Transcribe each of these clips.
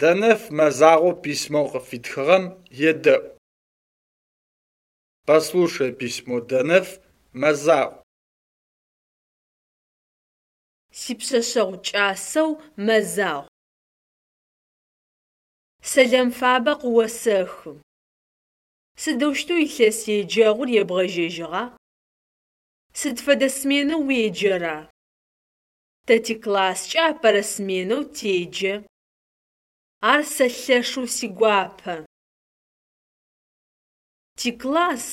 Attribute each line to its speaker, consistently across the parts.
Speaker 1: Дэнэф Мэзагъо письмэу къыфитхыгъэм едэӏу. Послушай письмо Дэнэф Мэзагъу.
Speaker 2: Сипшъэшъэгъу кӏасэу Мэзагъу. Сэлам фабэ къыосэхы. Сыдэущтэу илъэс еджэгъур ебгъэжьэжьыгъа? Сыд фэдэ сменэу уеджэра? Тэ тикласскӏэ апэрэ сменэу теджэ. Ар сэ лъэшэу сигуапэ. Тикласс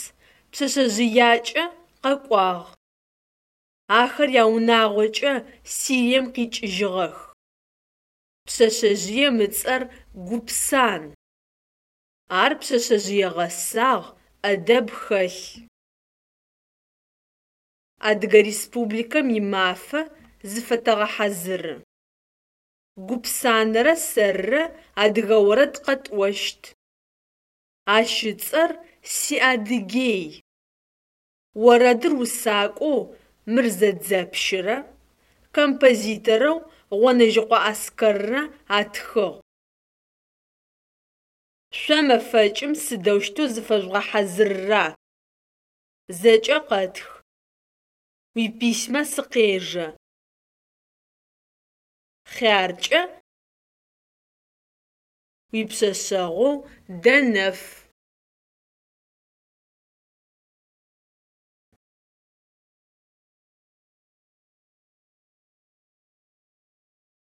Speaker 2: пшъэшъэжъыякӏэ къэкӏуагъ. Ахэр яунагъокӏэ Сирием къикӏыжьыгъэх. Пшъэшъэжъыем ыцӏэр Гупсан. Ар пшъэшъэжъые гъэсагъ, ӏэдэб хэлъ. Адыгэ Республикэм и Мафэ зыфэтэгъэхьазыры. Гупсанэрэ сэрырэ адыгэ орэд къэтӏощт. Ащ ыцӏэр «Си Адыгей». Орэдыр усакӏоу Мырзэ Дзэпщырэ композиторэу Гъонэжьыкъо Аскэррэ атхыгъ. Шъо мэфэкӏым сыдэущтэу зыфэжъугъэхьазырра? Зэкӏэ къэтх. Уиписьмэ сыкъежэ. Хъяркӏэ, уипшъэшъэгъоу Дэнэф.